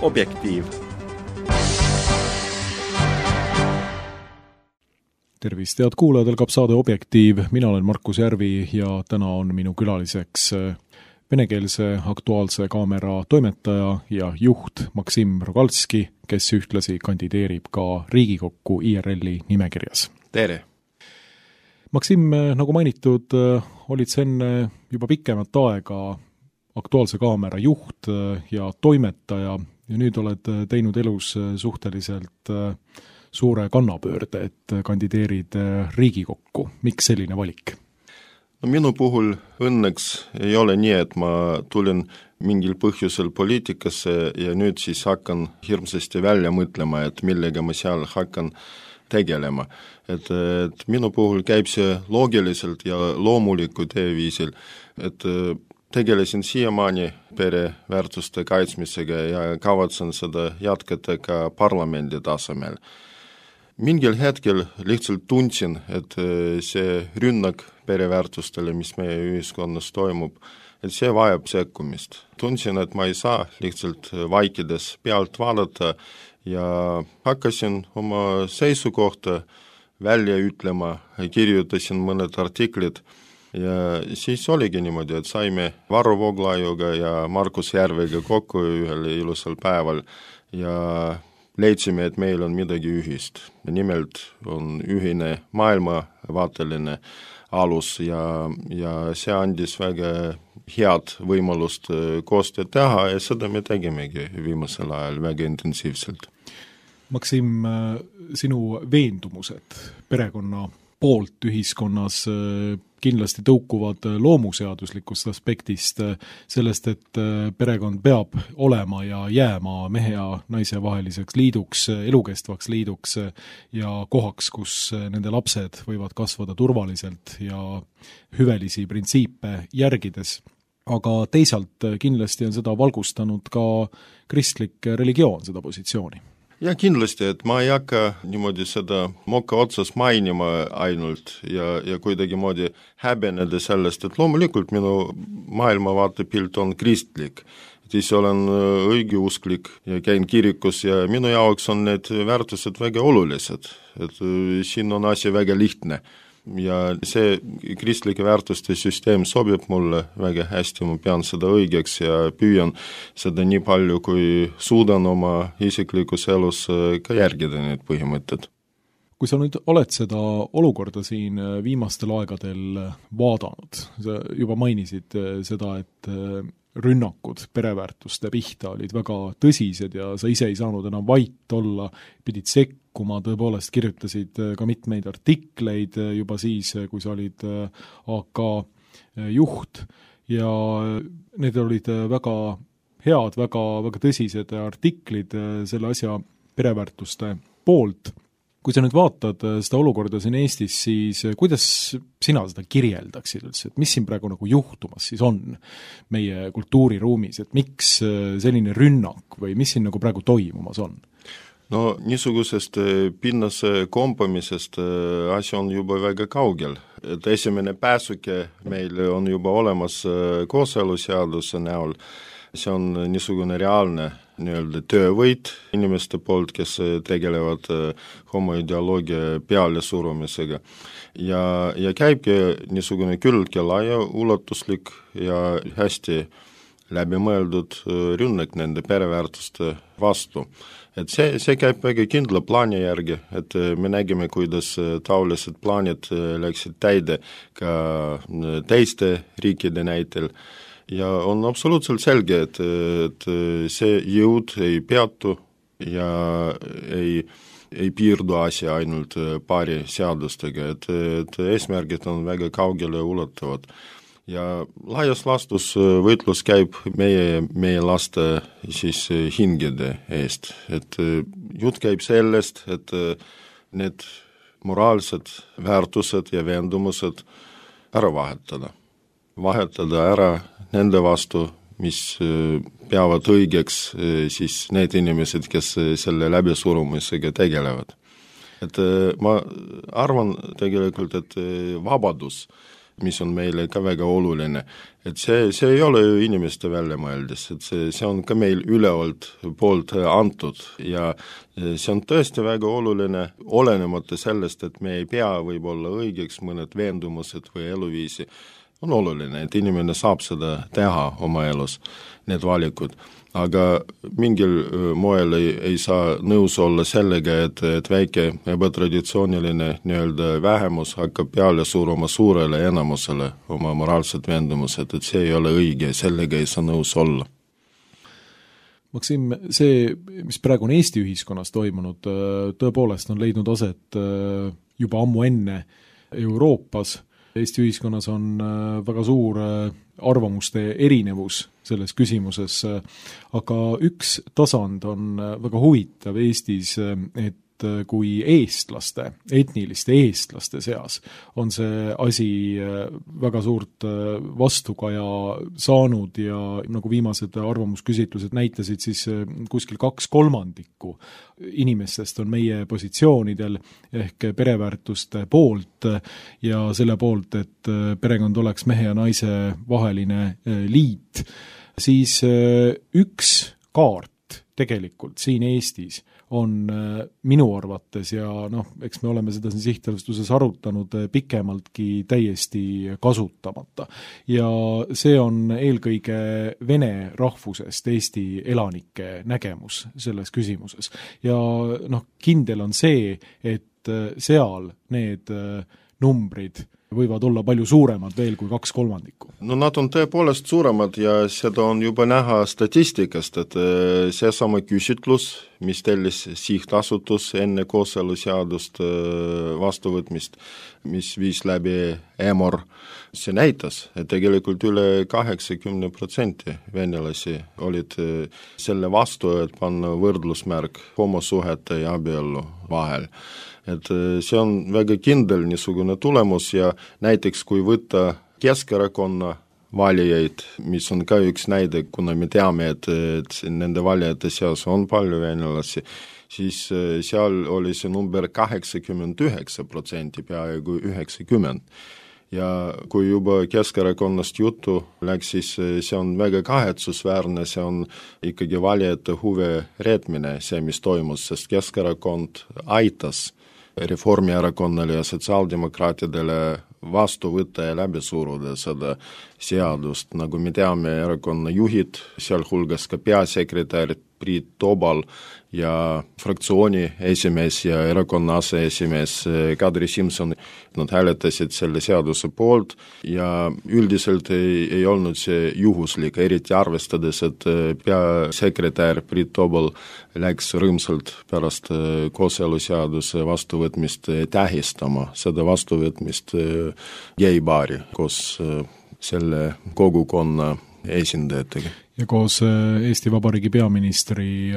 Objektiiv. Tervist, head kuulajad, algab saade Objektiiv. Mina olen Markus Järvi ja täna on minu külaliseks venekeelse Aktuaalse Kaamera toimetaja ja juht Maksim Rogalski, kes ühtlasi kandideerib ka Riigikokku IRL-i nimekirjas. Tere! Maksim, nagu mainitud, olid sa enne juba pikemat aega Aktuaalse Kaamera juht ja toimetaja ja nüüd oled teinud elus suhteliselt suure kannapöörde, et kandideerid Riigikokku. Miks selline valik? No, minu puhul õnneks ei ole nii, et ma tulin mingil põhjusel poliitikasse ja nüüd siis hakkan hirmsasti välja mõtlema, et millega ma seal hakkan tegelema. Et minu puhul käib see loogiliselt ja loomuliku teeviisil, et tegelesin siiamaani pereväärtuste kaitsmisega ja kavatsen seda jätkata ka parlamendi tasemel. Mingil hetkel lihtsalt tundsin, et see rünnak pereväärtustele, mis meie ühiskonnas toimub, et see vajab sekkumist. Tundsin, et ma ei saa lihtsalt vaikides pealt vaadata ja hakkasin oma seisukohta välja ütlema, kirjutasin mõned artiklid ja siis oligi niimoodi, et saime Varro Vooglaiuga ja Markus Järvega kokku ühel ilusal päeval ja leidsime, et meil on midagi ühist. Nimelt on ühine maailmavaateline alus ja see andis väga head võimalust koostööd teha ja seda me tegimegi viimasel ajal väga intensiivselt. Maksim, sinu veendumused perekonna poolt ühiskonnas kindlasti tõukuvad loomuseaduslikust aspektist, sellest, et perekond peab olema ja jääma mehe ja naise vaheliseks liiduks, elukestvaks liiduks ja kohaks, kus nende lapsed võivad kasvada turvaliselt ja hüvelisi printsiipe järgides. Aga teisalt kindlasti on seda valgustanud ka kristlik religioon, seda positsiooni. Ja kindlasti, et ma ei hakka niimoodi seda moka otsas mainima ainult ja kuidagi moodi häbeneda sellest, et loomulikult minu maailmavaatepilt on kristlik. Siis olen õigeusklik ja käin kirikus ja minu jaoks on need väärtused väga olulised. Et siin on asi väga lihtne. Ja see kristlike väärtuste süsteem sobib mulle väga hästi, ma pean seda õigeks ja püüan seda nii palju, kui suudan oma isiklikus elus ka järgida need põhimõtted. Kui sa nüüd oled seda olukorda siin viimastel aegadel vaadanud, sa juba mainisid seda, et rünnakud pereväärtuste pihta olid väga tõsised ja sa ise ei saanud enam vait olla, pidid sekkuma, tõepoolest kirjutasid ka mitmeid artikleid juba siis, kui sa olid AK juht ja need olid väga head, väga tõsised artiklid selle asja pereväärtuste poolt. Kui sa nüüd vaatad seda olukorda siin Eestis, siis kuidas sina seda kirjeldaksid üldse, et mis siin praegu nagu juhtumas siis on meie kultuuriruumis, et miks selline rünnak või mis siin nagu praegu toimumas on? No niisugusest pinnase kompamisest asi on juba väga kaugel. Et esimene pääsuke meil on juba olemas kooseluseaduse näol. See on niisugune reaalne töövõit inimeste poolt, kes tegelevad homoideoloogia peale surumisega. Ja käibki niisugune küllaltki laia ulatuslik ja hästi läbimõeldud rünnak nende pereväärtuste vastu. Et see käib väga kindla plaani järgi, et me nägime, kuidas taolised plaanid läksid täide ka teiste riikide näitel. Ja on absoluutselt selge, et see jõud ei peatu ja ei piirdu asja ainult paari seadustega, et eesmärgid on väga kaugele ulatuvad. Ja laias laastus võitlus käib meie laste siis hingede eest. Et jutt käib sellest, et need moraalsed väärtused ja veendumused ära vahetada ära nende vastu, mis peavad õigeks siis need inimesed, kes selle läbisurumisega tegelevad. Et ma arvan tegelikult, et vabadus mis on meile ka väga oluline. Et see ei ole ju inimeste väljamõeldis, et see on ka meil üleolt poolt antud ja see on tõesti väga oluline, olenemata sellest, et me ei pea võib-olla õigeks mõned veendumused või eluviisi. On oluline, et inimene saab seda teha oma elus, need valikud. Aga mingil moel ei saa nõus olla sellega, et väike ebatraditsiooniline nii-öelda vähemus hakkab peale suruma suurele enamusele oma moraalsed veendumused, et see ei ole õige, sellega ei saa nõus olla. Maksim, see, mis praegu on Eesti ühiskonnas toimunud, tõepoolest on leidnud aset juba ammu enne Euroopas. Eesti ühiskonnas on väga suur arvamuste erinevus selles küsimuses, aga üks tasand on väga huvitav Eestis, et kui eestlaste, etniliste eestlaste seas on see asi väga suurt vastukaja saanud ja nagu viimased arvamusküsitlused näitasid, siis kuskil 2/3 inimestest on meie positsioonidel ehk pereväärtuste poolt ja selle poolt, et perekond oleks mehe ja naise vaheline liit, siis üks kaart tegelikult siin Eestis on minu arvates ja eks me oleme seda siin sihtasutuses arutanud pikemaltki täiesti kasutamata. Ja see on eelkõige vene rahvusest Eesti elanike nägemus selles küsimuses. Ja kindel on see, et seal need numbrid võivad olla palju suuremad veel kui 2/3. No nad on tõepoolest suuremad ja seda on juba näha statistikast, et seesama küsitlus, mis tellis sihtasutus enne kooseluseadust vastuvõtmist, mis viis läbi EMOR, see näitas, et tegelikult üle 80% venelasi olid selle vastu, et panna võrdlusmärk homosuhete ja abiellu vahel. Et see on väga kindel niisugune tulemus ja näiteks kui võtta Keskerakonna valijaid, mis on ka üks näide, kuna me teame, et nende valijate seas on palju venelasi, siis seal oli see number 89%, peaaegu 90%. Ja kui juba Keskerakonnast juttu läks, siis see on väga kahetsusväärne, see on ikkagi valijate huve reetmine, see mis toimus, sest Keskerakond aitas Reformierakonnale ja sotsiaaldemokraatidele vastu võtta ja läbi suruda seda seadust. Nagu me teame, erakonna juhid, sealhulgas ka peasekretär Priit Tobal ja fraktsiooni esimees ja erakonna aseesimees Kadri Simson, nad hääletasid selle seaduse poolt ja üldiselt ei olnud see juhuslik, eriti arvestades, et peasekretär Priit Tobal läks rõõmsalt pärast kooseluseaduse vastuvõtmist tähistama seda vastuvõtmist geibaari koos selle kogukonna esindajatega. Ja koos Eesti Vabariigi peaministri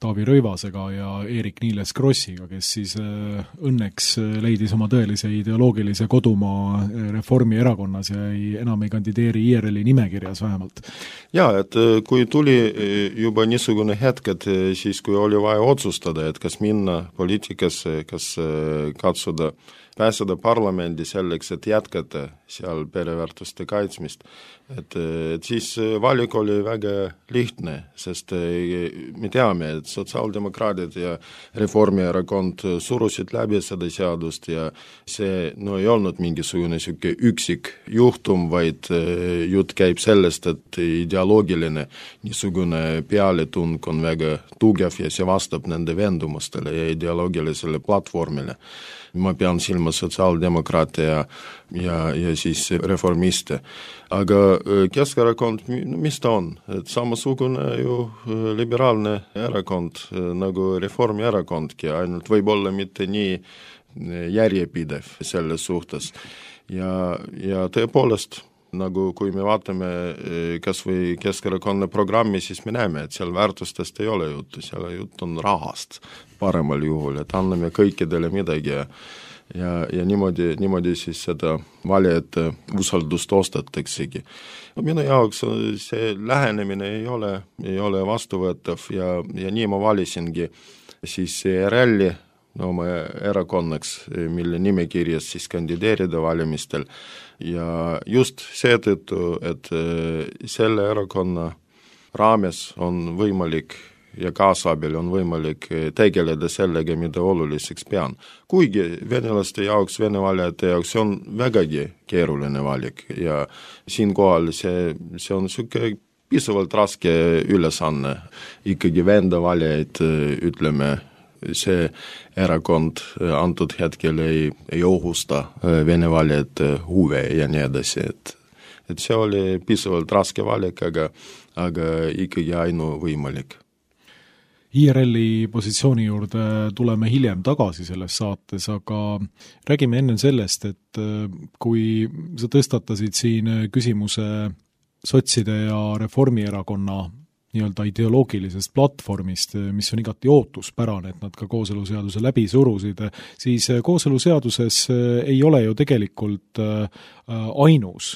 Taavi Rõivasega ja Eerik-Niiles Krossiga, kes siis õnneks leidis oma tõelise ideoloogilise kodumaa Reformierakonnas ja enam ei kandideeri IRL-i nimekirjas vähemalt. Jaa, et kui tuli juba niisugune hetk, et siis kui oli vaja otsustada, et kas minna poliitikasse, kas katsuda pääseda parlamendi selleks, et jätkata seal pereväärtuste kaitsmist. Et siis valik oli väga lihtne, sest me teame, et sotsiaaldemokraadid ja Reformierakond surusid läbi seda seadust ja see ei olnud mingisugune siuke üksik juhtum, vaid jutt käib sellest, et ideoloogiline niisugune pealetung on väga tugev ja see vastab nende veendumustele ja ideoloogilisele platvormile. Ma pean silma sotsiaaldemokraate ja siis reformiste. Aga Keskerakond, mis ta on? Et samasugune ju liberaalne erakond nagu Reformierakondki, ainult võib-olla mitte nii järjepidev selles suhtes. Ja tõepoolest, nagu kui me vaatame kas või Keskerakonna programmi, siis me näeme, et seal väärtustest ei ole juttu, seal jutt on rahast paremal juhul, et anname kõikidele midagi ja niimoodi siis seda valijate usaldust ostataksegi. Minu jaoks see lähenemine ei ole vastuvõetav ja nii ma valisingi siis ERL-i oma erakonnaks, mille nimekirjas siis kandideerida valimistel ja just seetõttu, et selle erakonna raames on võimalik ja kaasabil on võimalik tegeleda sellega, mida oluliseks pean. Kuigi venelaste jaoks, vene valijate jaoks see on vägagi keeruline valik ja siinkohal see on niisugune piisavalt raske ülesanne ikkagi venda valijaid, ütleme, see erakond antud hetkel ei ohusta vene valijate huve ja nii edasi, et see oli piisavalt raske valik, aga ikkagi ainuvõimalik. IRL-i positsiooni juurde tuleme hiljem tagasi selles saates, aga räägime enne sellest, et kui sa tõstatasid siin küsimuse sotside ja Reformierakonna nii-öelda ideoloogilisest platvormist, mis on igati ootuspärane, et nad ka kooseluseaduse läbi surusid, siis kooseluseaduses ei ole ju tegelikult ainus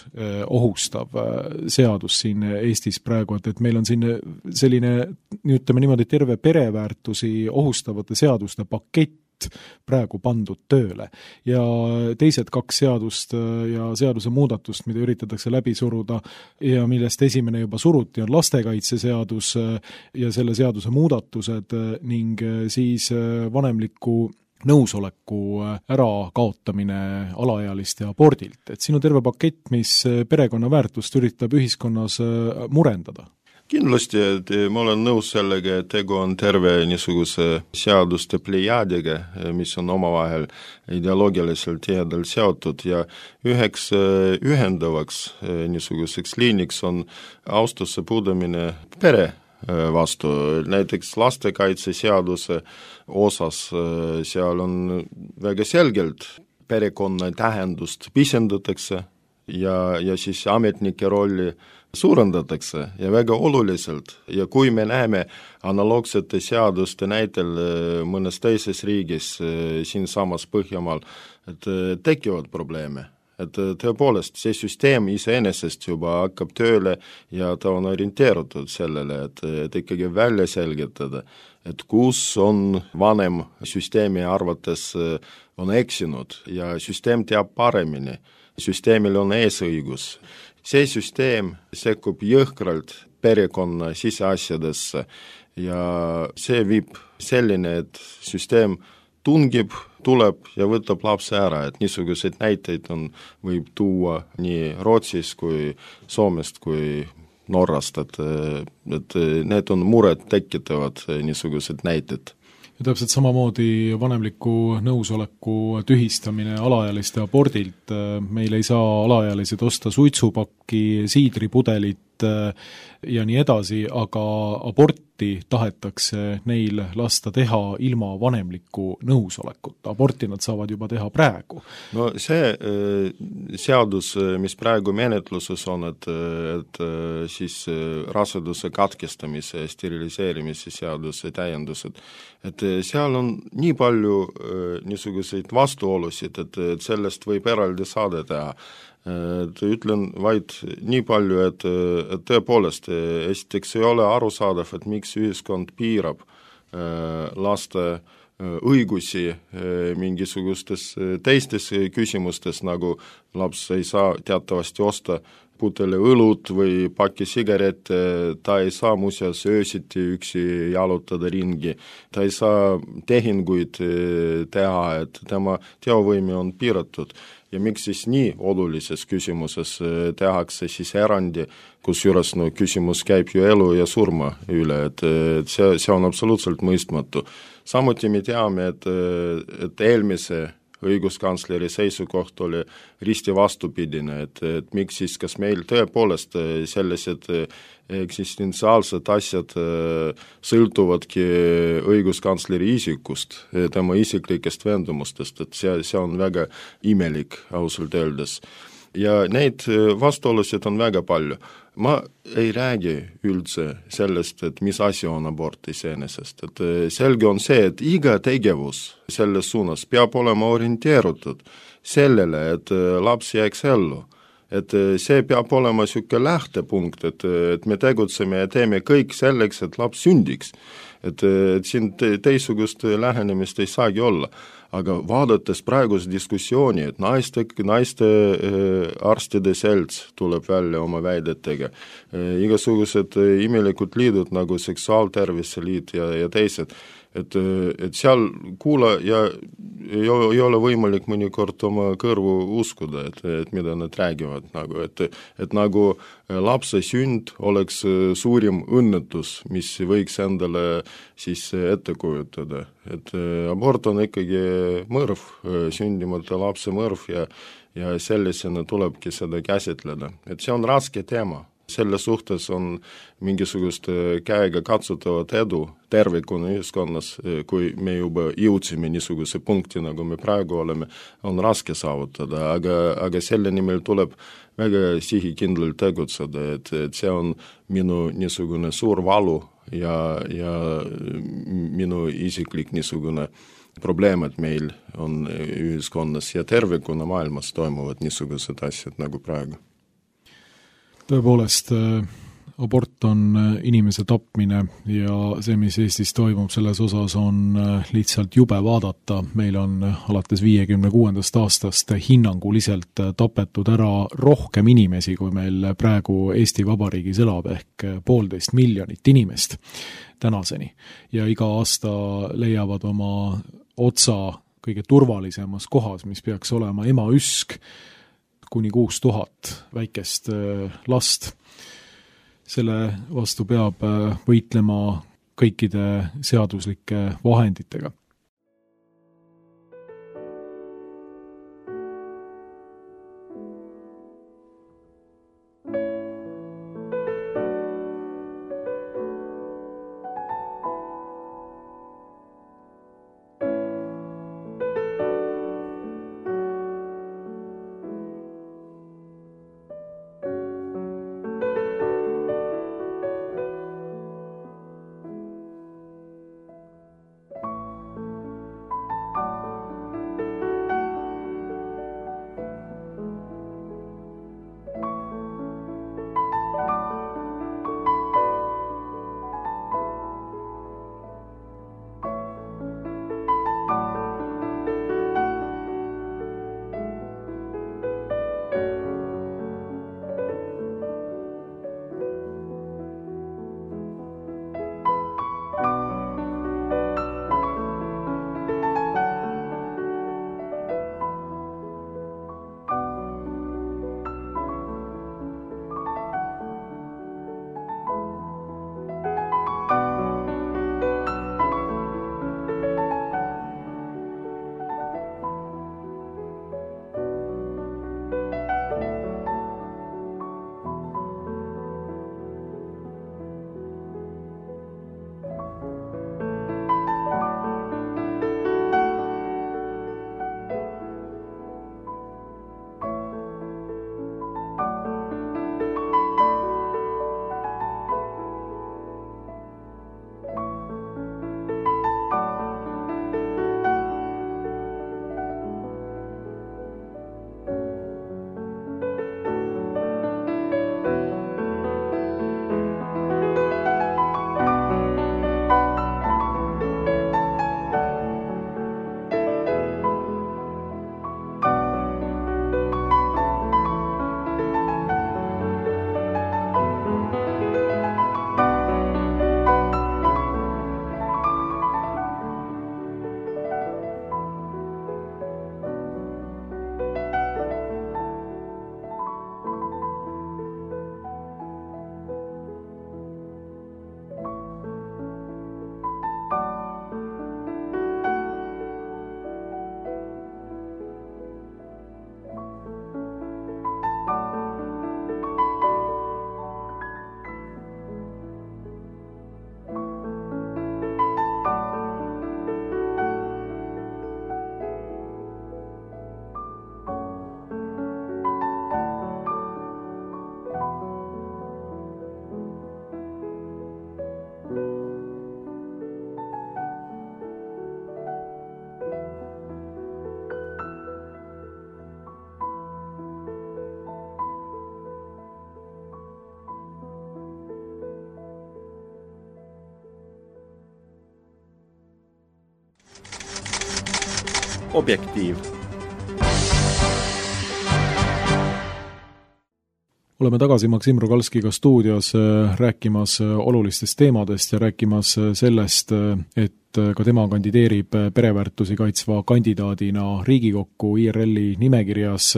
ohustav seadus siin Eestis praegu, et meil on siin selline, ütleme niimoodi, terve pereväärtusi ohustavate seaduste pakett praegu pandud tööle. Ja teised 2 seadust ja seaduse muudatust, mida üritatakse läbi suruda ja millest esimene juba suruti, on lastekaitseseadus ja selle seaduse muudatused ning siis vanemliku nõusoleku ärakaotamine alaealiste abordilt. Et siin on terve pakett, mis perekonna väärtust üritab ühiskonnas murendada. Kindlasti, et ma olen nõus sellega, et tegu on terve niisuguse seaduste plejaadiga, mis on omavahel ideoloogiliselt tihedalt seotud ja üheks ühendavaks niisuguseks liiniks on austuse puudumine pere vastu. Näiteks lastekaitseseaduse osas seal on väga selgelt perekonna tähendust pisendatakse ja siis ametnike rolli suurendatakse ja väga oluliselt ja kui me näeme analoogsete seaduste näitel mõnes teises riigis siinsamas Põhjamaal, et tekivad probleeme, et tõepoolest see süsteem iseenesest juba hakkab tööle ja ta on orienteerutud sellele, et ikkagi välja selgitada, et kus on vanem süsteemi arvates on eksinud ja süsteem teab paremini, süsteemil on eesõigus. See süsteem sekkub jõhkralt perekonna siseasjadesse ja see viib selline, et süsteem tungib, tuleb ja võtab lapse ära, et niisuguseid näiteid võib tuua nii Rootsis kui Soomest kui Norrast, et need on muret tekitavad niisugused näited. Ja täpselt samamoodi vanemliku nõusoleku tühistamine alaealiste abordilt. Meil ei saa alaealised osta suitsupakki, siidripudelit ja nii edasi, aga aborti tahetakse neil lasta teha ilma vanemliku nõusolekuta. Aborti nad saavad juba teha praegu. No see seadus, mis praegu menetluses on, et siis raseduse katkestamise ja steriliseerimise seaduse täiendused, et seal on nii palju niisuguseid vastuolusid, et sellest võib eraldi saade teha. Ütlen vaid nii palju, et tõepoolest esiteks ei ole arusaadav, et miks ühiskond piirab laste õigusi mingisugustes teistes küsimustes, nagu laps ei saa teatavasti osta putele õlut või paki sigarette, ta ei saa muuseas öösiti üksi jalutada ringi, ta ei saa tehinguid teha, et tema teovõime on piiratud. Ja miks siis nii olulises küsimuses tehakse siis erandi, kusjuures küsimus käib ju elu ja surma üle, et see on absoluutselt mõistmatu. Samuti me teame, et eelmise õiguskantsleri seisukoht oli risti vastupidine, et miks siis, kas meil tõepoolest sellised eksistentsiaalsed asjad sõltuvadki õiguskantsleri isikust, tema isiklikest veendumustest, et see on väga imelik ausalt öeldes. Ja neid vastuolusid on väga palju. Ma ei räägi üldse sellest, et mis asi on abort iseenesest, et selge on see, et iga tegevus selles suunas peab olema orienteerutud sellele, et laps jääks ellu. Et see peab olema niisugune lähtepunkt, et me tegutseme ja teeme kõik selleks, et laps sündiks. et siin teisugust lähenemist ei saagi olla. Aga vaadates praegust diskussiooni, et naiste arstide selts tuleb välja oma väidetega, igasugused imelikud liidud nagu seksuaaltervise liit ja teised, et seal kuula ja ei ole võimalik mõnikord oma kõrvu uskuda, et mida nad räägivad, nagu, et nagu lapse sünd oleks suurim õnnetus, mis võiks endale siis ette kujutada. Et abort on ikkagi mõrv, sündimata lapse mõrv ja sellisena tulebki seda käsitleda. Et see on raske teema. Selle suhtes on mingisugust käega katsutavat edu tervikuna ühiskonnas, kui me juba jõudsime niisuguse punkti, nagu me praegu oleme, on raske saavutada, aga selle nimel tuleb väga sihikindlalt tegutseda, et see on minu niisugune suur valu ja minu isiklik niisugune probleem, et meil on ühiskonnas ja tervikuna maailmas toimuvad niisugused asjad nagu praegu. Tõepoolest, abort on inimese tapmine ja see, mis Eestis toimub, selles osas on lihtsalt jube vaadata. Meil on alates 56. aastast hinnanguliselt tapetud ära rohkem inimesi, kui meil praegu Eesti Vabariigis elab, ehk 1,5 miljonit inimest tänaseni. Ja iga aasta leiavad oma otsa kõige turvalisemas kohas, mis peaks olema emaüsk, kuni 6000 väikest last. Selle vastu peab võitlema kõikide seaduslike vahenditega. objektiiv. Oleme tagasi Maksim Rogalskiga stuudios rääkimas olulistest teemadest ja rääkimas sellest, et ka tema kandideerib pereväärtusi kaitsva kandidaadina Riigikokku IRL-i nimekirjas.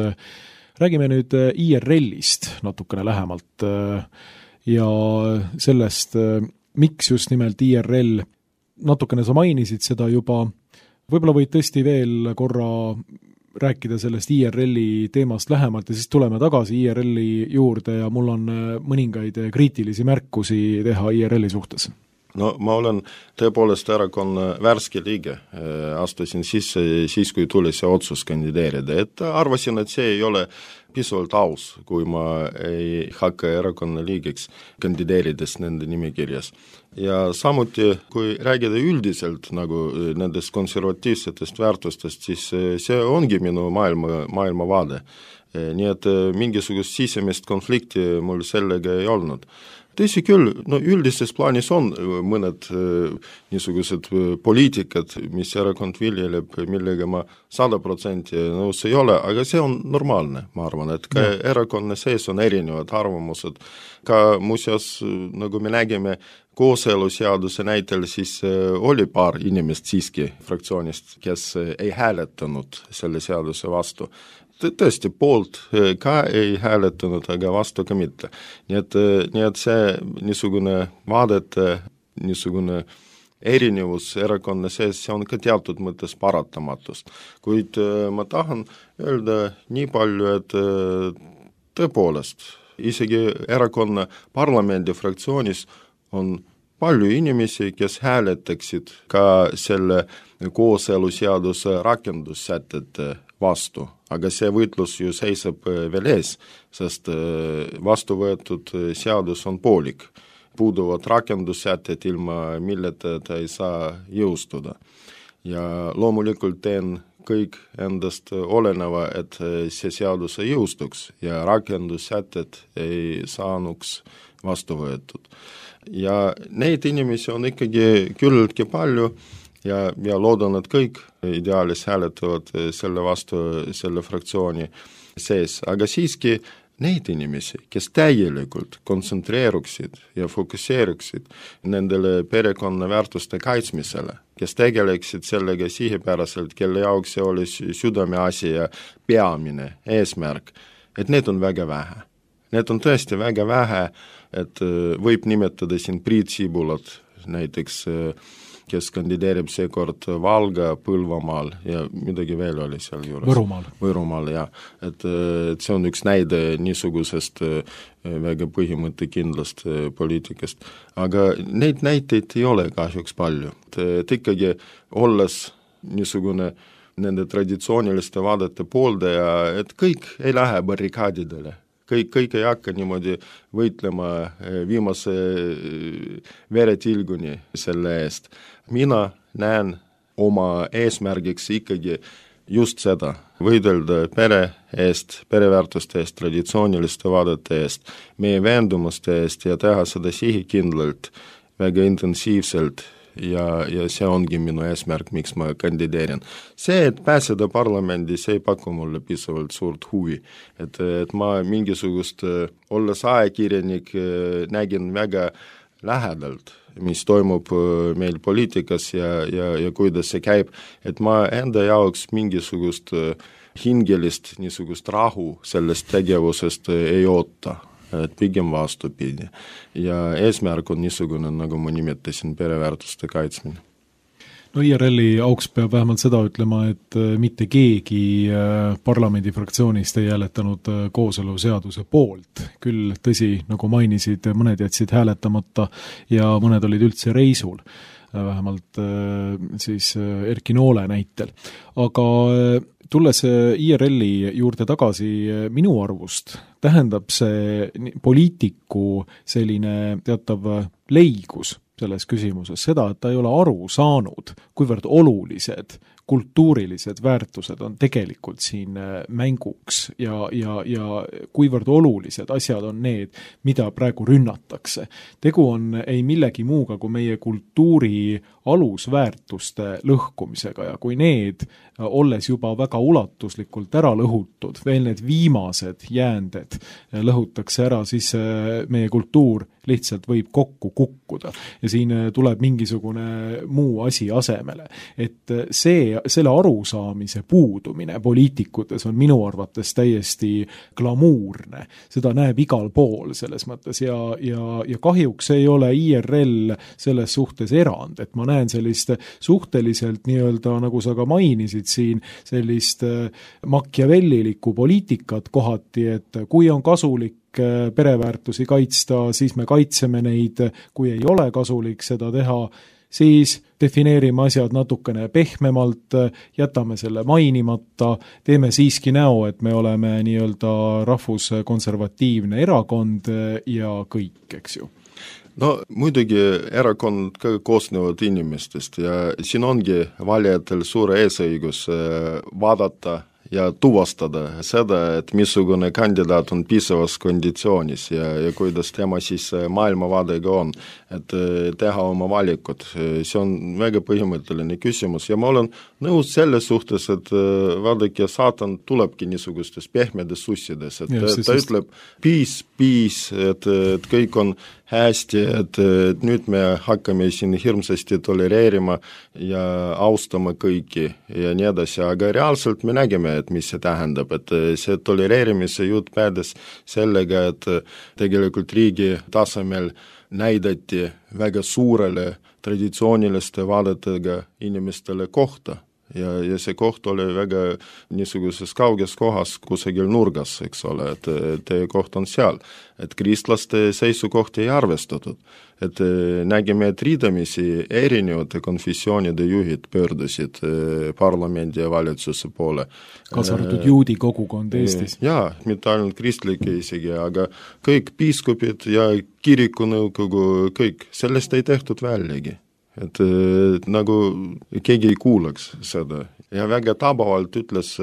Räägime nüüd IRL-ist natukene lähemalt ja sellest, miks just nimelt IRL, natukene sa mainisid seda juba, võib-olla võid tõesti veel korra rääkida sellest IRL-i teemast lähemalt ja siis tuleme tagasi IRL-i juurde ja mul on mõningaid kriitilisi märkusi teha IRL-i suhtes. No ma olen tõepoolest erakonna värske liige, astusin sisse siis, kui tuli see otsus kandideerida, et arvasin, et see ei ole pisuvalt aus, kui ma ei hakka erakonna liigeks kandideerides nende nimekirjas. Ja samuti, kui räägida üldiselt nagu nendest konservatiivsetest väärtustest, siis see ongi minu maailmavaade. Nii et mingisugust sisemist konflikti mul sellega ei olnud. Tõsi küll, no üldises plaanis on mõned niisugused poliitikad, mis erakond viljeleb, millega ma 100% nõus ei ole, aga see on normaalne, ma arvan, et ka erakonna sees on erinevad arvamused. Ka muuseas, nagu me nägime kooseluseaduse näitel, siis oli paar inimest siiski fraktsioonist, kes ei hääletanud selle seaduse vastu. Tõesti, poolt ka ei hääletanud, aga vastu ka mitte. Nii et see niisugune vaadete, niisugune erinevus erakonna sees, see on ka teatud mõttes paratamatust. Kuid ma tahan öelda nii palju, et tõepoolest, isegi erakonna parlamendi fraktsioonis on palju inimesi, kes hääletaksid ka selle kooseluseaduse rakendussätete vastu. Aga see võitlus ju seisab veel ees, sest vastu võetud seadus on poolik. Puuduvad rakendussätted, ilma milleta ta ei saa jõustuda. Ja loomulikult teen kõik endast oleneva, et see seadus ei jõustuks ja rakendussätted ei saanuks vastu võetud. Ja neid inimesi on ikkagi küllaltki palju, ja loodan, et kõik ideaalis hääletavad selle vastu selle fraktsiooni sees. Aga siiski neid inimesi, kes täielikult kontsentreeruksid ja fokuseeruksid nendele perekonna väärtuste kaitsmisele, kes tegeleksid sellega sihipäraselt, kelle jaoks see oli südameasi ja peamine eesmärk, et need on väga vähe. Need on tõesti väga vähe, et võib nimetada siin Priit Sibulat näiteks, kes kandideerib seekord Valga, Põlvamaal ja midagi veel oli seal juures. Võrumaal, jah. Et see on üks näide niisugusest väga põhimõttekindlast poliitikast. Aga neid näiteid ei ole kahjuks palju. Et ikkagi olles niisugune nende traditsiooniliste vaadete pooldaja, et kõik ei lähe barrikaadidele. Kõik ei hakka niimoodi võitlema viimase veretilguni selle eest. Mina näen oma eesmärgiks ikkagi just seda, võidelda pere eest, pereväärtuste eest, traditsiooniliste vaadete eest, meie veendumuste eest ja teha seda sihikindlalt, väga intensiivselt ja see ongi minu eesmärk, miks ma kandideerin. See, et pääseda parlamendi, see ei paku mulle piisavalt suurt huvi. Et ma mingisugust, olles ajakirjanik, nägin väga lähedalt, mis toimub meil poliitikas ja kuidas see käib, et ma enda jaoks mingisugust hingelist niisugust rahu sellest tegevusest ei oota. Et pigem vastupidi. Ja eesmärk on niisugune, nagu ma nimetasin, pereväärtuste kaitsmine. No IRL-i auks peab vähemalt seda ütlema, et mitte keegi parlamendi fraktsioonist ei hääletanud kooseluseaduse poolt. Küll tõsi, nagu mainisid, mõned jätsid hääletamata ja mõned olid üldse reisul, vähemalt siis Erki Noole näitel. Aga tulles IRL-i juurde tagasi, minu arvust tähendab see poliitiku selline teatav leigus selles küsimuses seda, et ta ei ole aru saanud, kuivõrd olulised kultuurilised väärtused on tegelikult siin mänguks ja kuivõrd olulised asjad on need, mida praegu rünnatakse. Tegu on ei millegi muuga kui meie kultuuri alusväärtuste lõhkumisega ja kui need, olles juba väga ulatuslikult ära lõhutud, veel need viimased jäänded lõhutakse ära, siis meie kultuur lihtsalt võib kokku kukkuda ja siin tuleb mingisugune muu asi asemele. Et selle arusaamise puudumine poliitikutes on minu arvates täiesti glamuurne. Seda näeb igal pool selles mõttes ja kahjuks ei ole IRL selles suhtes erand, et ma näen sellist suhteliselt nii-öelda, nagu sa ka mainisid siin, sellist machiavellilikku poliitikat kohati, et kui on kasulik pereväärtusi kaitsta, siis me kaitseme neid, kui ei ole kasulik seda teha, siis defineerime asjad natukene pehmemalt, jätame selle mainimata, teeme siiski näo, et me oleme nii-öelda rahvuskonservatiivne erakond ja kõik, eks ju. No muidugi erakond koosnevad inimestest ja siin ongi valijatel suure eesõigus vaadata ja tuvastada seda, et missugune kandidaat on piisavas konditsioonis ja kuidas tema siis maailmavaadega on, et teha oma valikud. See on väga põhimõtteline küsimus ja ma olen nõus selles suhtes, et vaadake, saatan tulebki niisugustes pehmedes sussides, et ta ütleb piis, et kõik on hästi, et nüüd me hakkame siin hirmsasti tolereerima ja austama kõiki ja nii edasi, aga reaalselt me nägime, et mis see tähendab, et see tolereerimise jutt päädes sellega, et tegelikult riigi tasemel näidati väga suurele traditsiooniliste vaadetega inimestele kohta. Ja see koht oli väga niisuguses kauges kohas kusagil nurgas, eks ole, et teie koht on seal, et kristlaste seisukohti ei arvestatud, et nägime, et riidamisi erinevate konfessioonide juhid pöördusid parlamendi ja valitsuse poole. Kaasa arvatud juudi kogukond Eestis. Jaa, mitte ainult kristlike isegi, aga kõik piiskopid ja kirikunõukogu, kõik, sellest ei tehtud väljagi. Et nagu keegi ei kuulaks seda. Ja väga tabavalt ütles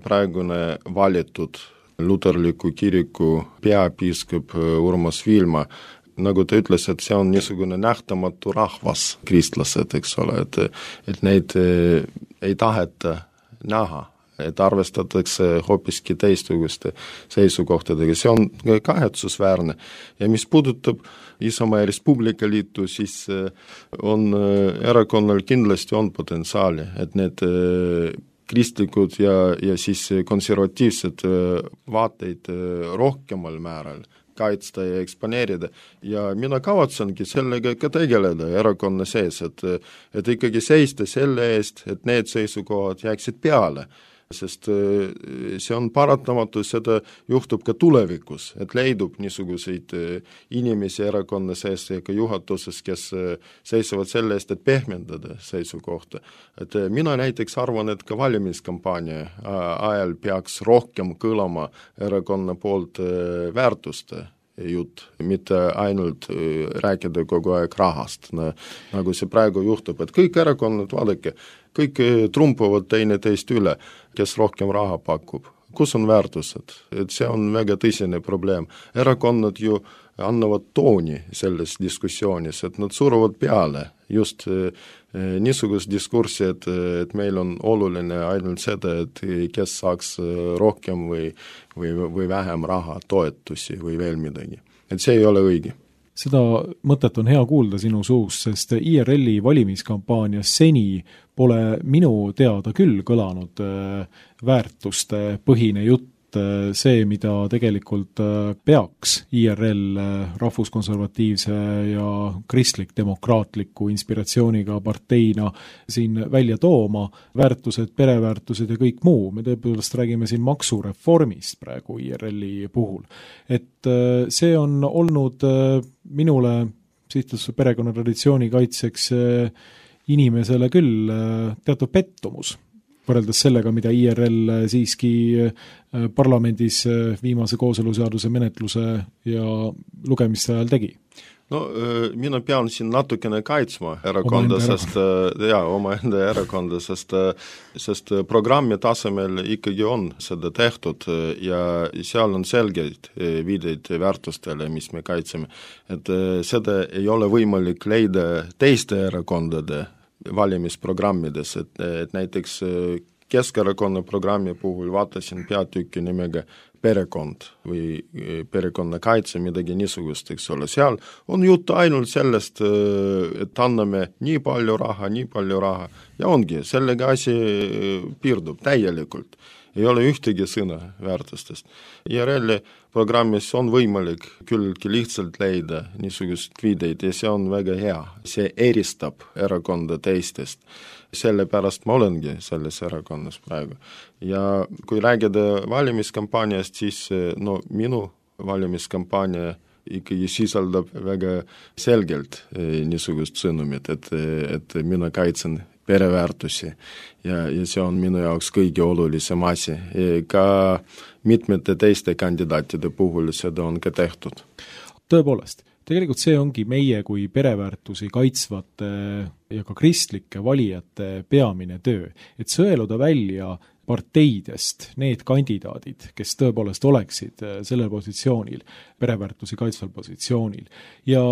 praegune valitud luterliku kiriku peapiiskop Urmas Viilma, nagu ta ütles, et see on niisugune nähtamatu rahvas, kristlased, eks ole, et neid ei taheta näha, et arvestatakse hoopiski teistsuguste seisukohtadega. See on kahetsusväärne. Ja mis puudutab Isamaa ja Res Publica Liitu, siis on erakonnal kindlasti on potentsiaali, et need kristlikud ja siis konservatiivsed vaateid rohkemal määral kaitsta ja eksponeerida. Ja mina kavatsengi sellega ka tegeleda erakonna sees, et ikkagi seista selle eest, et need seisukohad jääksid peale. Sest see on paratamatu, seda juhtub ka tulevikus, et leidub niisuguseid inimesi erakonna sees ja ka juhatuses, kes seisavad selle eest, et pehmendada seisukohta. Et mina näiteks arvan, et ka valimiskampaania ajal peaks rohkem kõlama erakonna poolt väärtuste jutt, mitte ainult rääkida kogu aeg rahast, nagu see praegu juhtub, et kõik erakonnad, vaadake, kõik trumpavad teineteist üle, kes rohkem raha pakub. Kus on väärtused? Et see on väga tõsine probleem. Erakonnad ju annavad tooni selles diskussioonis, et nad suruvad peale just niisugust diskurssi, et meil on oluline ainult seda, et kes saaks rohkem või vähem raha, toetusi või veel midagi. Et see ei ole õige. Seda mõtet on hea kuulda sinu suust, sest IRL-i valimiskampaanias seni pole minu teada küll kõlanud väärtuste põhine jutt, see, mida tegelikult peaks IRL rahvuskonservatiivse ja kristlik-demokraatliku inspiratsiooniga parteina siin välja tooma, väärtused, pereväärtused ja kõik muu. Me tõepoolest räägime siin maksureformist praegu IRL-i puhul. Et see on olnud minule sihtluse perekonnatraditsiooni kaitseks inimesele küll teatud pettumus, võrreldes sellega, mida IRL siiski parlamendis viimase kooseluseaduse menetluse ja lugemiste ajal tegi. No mina pean siin natukene kaitsma erakonda, omaenda erakonda, sest programmi tasemel ikkagi on seda tehtud ja seal on selgeid viideid väärtustele, mis me kaitseme. Et seda ei ole võimalik leida teiste erakondade valimisprogrammides, et näiteks Keskerakonna programmi puhul vaatasin peatükki nimega perekond või perekonnakaitse, midagi niisugust, eks ole. Seal on jutt ainult sellest, et anname nii palju raha ja ongi, sellega asi piirdub täielikult. Ei ole ühtegi sõna väärtustest. IRL-i programmis on võimalik küllaltki lihtsalt leida niisugust viideid ja see on väga hea. See eristab erakonda teistest. Sellepärast ma olengi selles erakonnas praegu. Ja kui räägida valimiskampaaniast, siis minu valimiskampaania ikkagi sisaldab väga selgelt niisugust sõnumit, et mina kaitsen pereväärtusi ja see on minu jaoks kõige olulisem asi. Ka mitmete teiste kandidaatide puhul seda on ka tehtud. Tõepoolest, tegelikult see ongi meie kui pereväärtusi kaitsvate ja ka kristlike valijate peamine töö, et sõeluda välja parteidest need kandidaadid, kes tõepoolest oleksid sellel positsioonil, pereväärtusi kaitsval positsioonil. Ja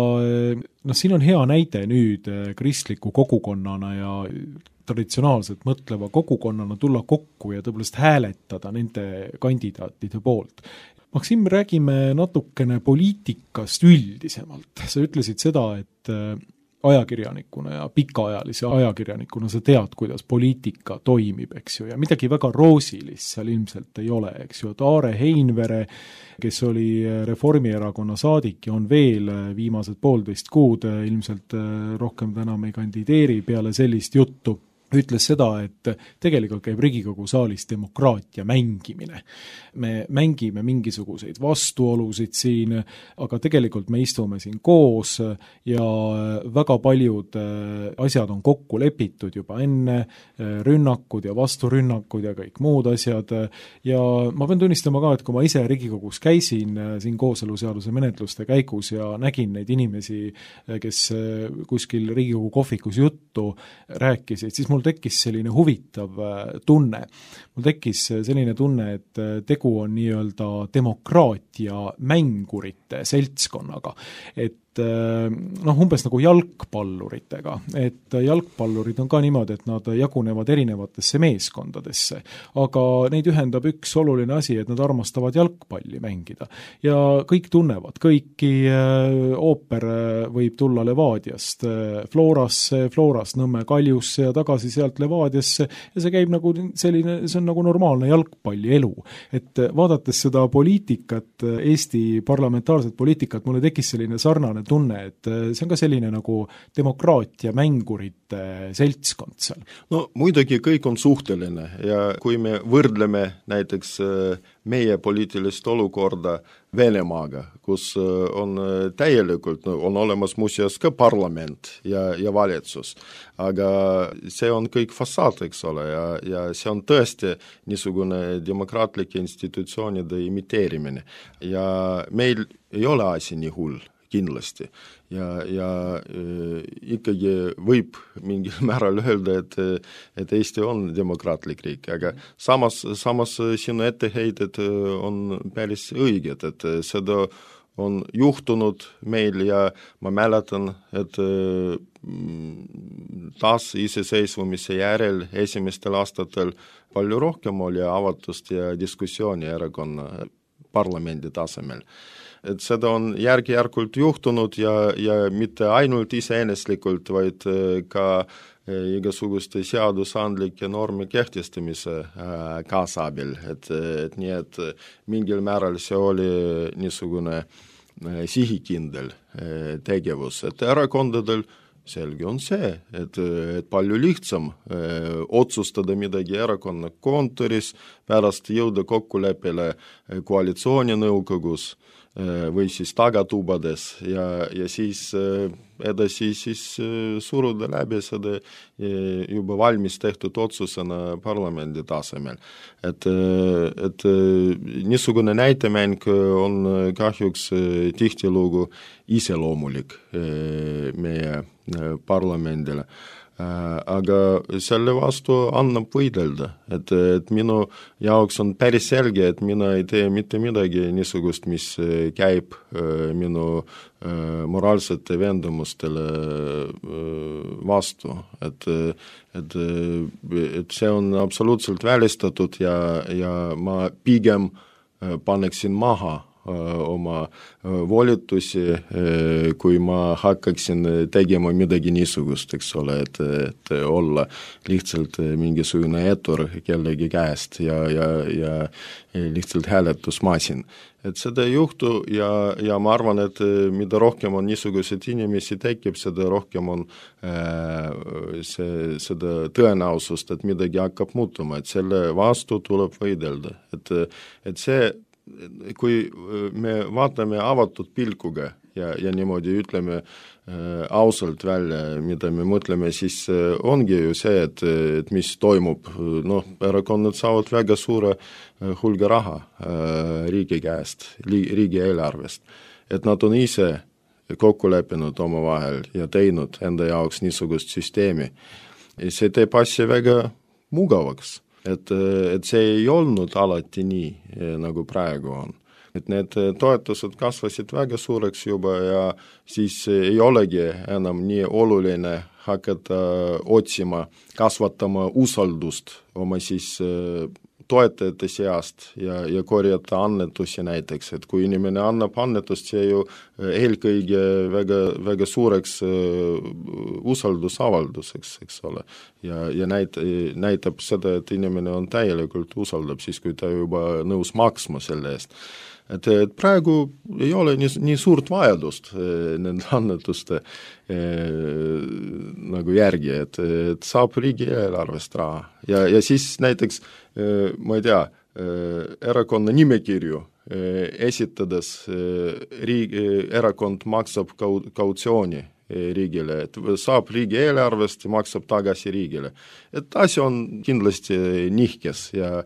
siin on hea näide nüüd kristliku kogukonnana ja traditsionaalselt mõtleva kogukonnana tulla kokku ja tõepoolest hääletada nende kandidaatide poolt. Maksim, räägime natukene poliitikast üldisemalt. Sa ütlesid seda, et ajakirjanikuna ja pikaajalise ajakirjanikuna sa tead, kuidas poliitika toimib, eks ju, ja midagi väga roosilist seal ilmselt ei ole, eks ju, et Aare Heinvere, kes oli Reformierakonna saadik ja on veel viimased 1,5 kuud, ilmselt rohkem enam ei kandideeri peale sellist juttu, ütles seda, et tegelikult käib Riigikogu saalis demokraatia mängimine. Me mängime mingisuguseid vastuolusid siin, aga tegelikult me istume siin koos ja väga paljud asjad on kokku lepitud juba enne, rünnakud ja vasturünnakud ja kõik muud asjad. Ja ma pean tunnistama ka, et kui ma ise Riigikogus käisin siin kooseluseaduse menetluste käigus ja nägin neid inimesi, kes kuskil Riigikogu kohvikus juttu rääkisid, siis mul tekkis selline huvitav tunne. Mul tekkis selline tunne, et tegu on nii-öelda demokraatia mängurite seltskonnaga. Et umbes nagu jalgpalluritega, et jalgpallurid on ka niimoodi, et nad jagunevad erinevatesse meeskondadesse, aga neid ühendab üks oluline asi, et nad armastavad jalgpalli mängida ja kõik tunnevad, kõiki ooper võib tulla Levadiast Florasse, Florast Nõmme Kaljusse ja tagasi sealt Levadiasse ja see käib nagu selline, see on nagu normaalne jalgpallielu, et vaadates seda poliitikat, Eesti parlamentaarset poliitikat, mulle tekkis selline sarnane tunne, et see on ka selline nagu demokraatia mängurite seltskond seal. No muidugi kõik on suhteline ja kui me võrdleme näiteks meie poliitilist olukorda Venemaaga, kus on täielikult, on olemas muuseas ka parlament ja valitsus, aga see on kõik fassaad, eks ole, ja see on tõesti niisugune demokraatlike institutsioonide imiteerimine ja meil ei ole asi nii hull kindlasti. Ja ikkagi võib mingil määral öelda, et Eesti on demokraatlik riik, aga samas sinu etteheited on päris õiged, et seda on juhtunud meil ja ma mäletan, et taas iseseisvumise järel esimestel aastatel palju rohkem oli avatust ja diskussiooni erakonna parlamendi tasemel. Et seda on järk-järkult juhtunud ja mitte ainult iseeneslikult, vaid ka igasuguste seadusandlike normi kehtestamise kaasabil, et nii, et mingil määral see oli niisugune sihikindel tegevus, et erakondadel selge on see, et palju lihtsam otsustada midagi erakonna kontoris, pärast jõuda kokkuleppele koalitsiooninõukogus või siis tagatubades ja siis edasi suruda läbi seda juba valmis tehtud otsusena parlamendi tasemel. Et niisugune näitemäng on kahjuks tihtilugu iseloomulik meie parlamendile. aga selle vastu annab võidelda, et minu jaoks on päris selge, et mina ei tee mitte midagi niisugust, mis käib minu moraalsete veendumustele vastu, et see on absoluutselt välistatud ja ma pigem paneksin maha oma volitusi, kui ma hakkaksin tegema midagi niisugust, eks ole, et olla lihtsalt mingisugune etur kellegi käest ja lihtsalt hääletusmasin. Et seda ei juhtu ja ma arvan, et mida rohkem on niisuguseid inimesi tekib, seda rohkem on seda tõenäosust, et midagi hakkab muutuma, et selle vastu tuleb võidelda. Et see kui me vaatame avatud pilkuga ja niimoodi ütleme ausalt välja, mida me mõtleme, siis ongi ju see, et mis toimub. Erakonnad saavad väga suure hulga raha riigi käest, riigi eelarvest. Et nad on ise kokku leppinud omavahel ja teinud enda jaoks niisugust süsteemi. See teeb asja väga mugavaks. Et see ei olnud alati nii, nagu praegu on. Et need toetused kasvasid väga suureks juba ja siis ei olegi enam nii oluline hakata otsima, kasvatama usaldust oma siis toetajate seast ja korjata annetusi näiteks, et kui inimene annab annetust, see ju eelkõige väga suureks usaldusavalduseks, eks ole. Ja näitab seda, et inimene on täielikult usaldab siis, kui ta juba nõus maksma selle eest. Et praegu ei ole nii suurt vajadust nende annetuste nagu järgi, et saab riigi eelarvest raha. Ja siis näiteks, ma ei tea, erakonna nimekirju esitades erakond maksab kautsiooni riigile, et saab riigi eelarvest ja maksab tagasi riigile. Et asja on kindlasti nihkes ja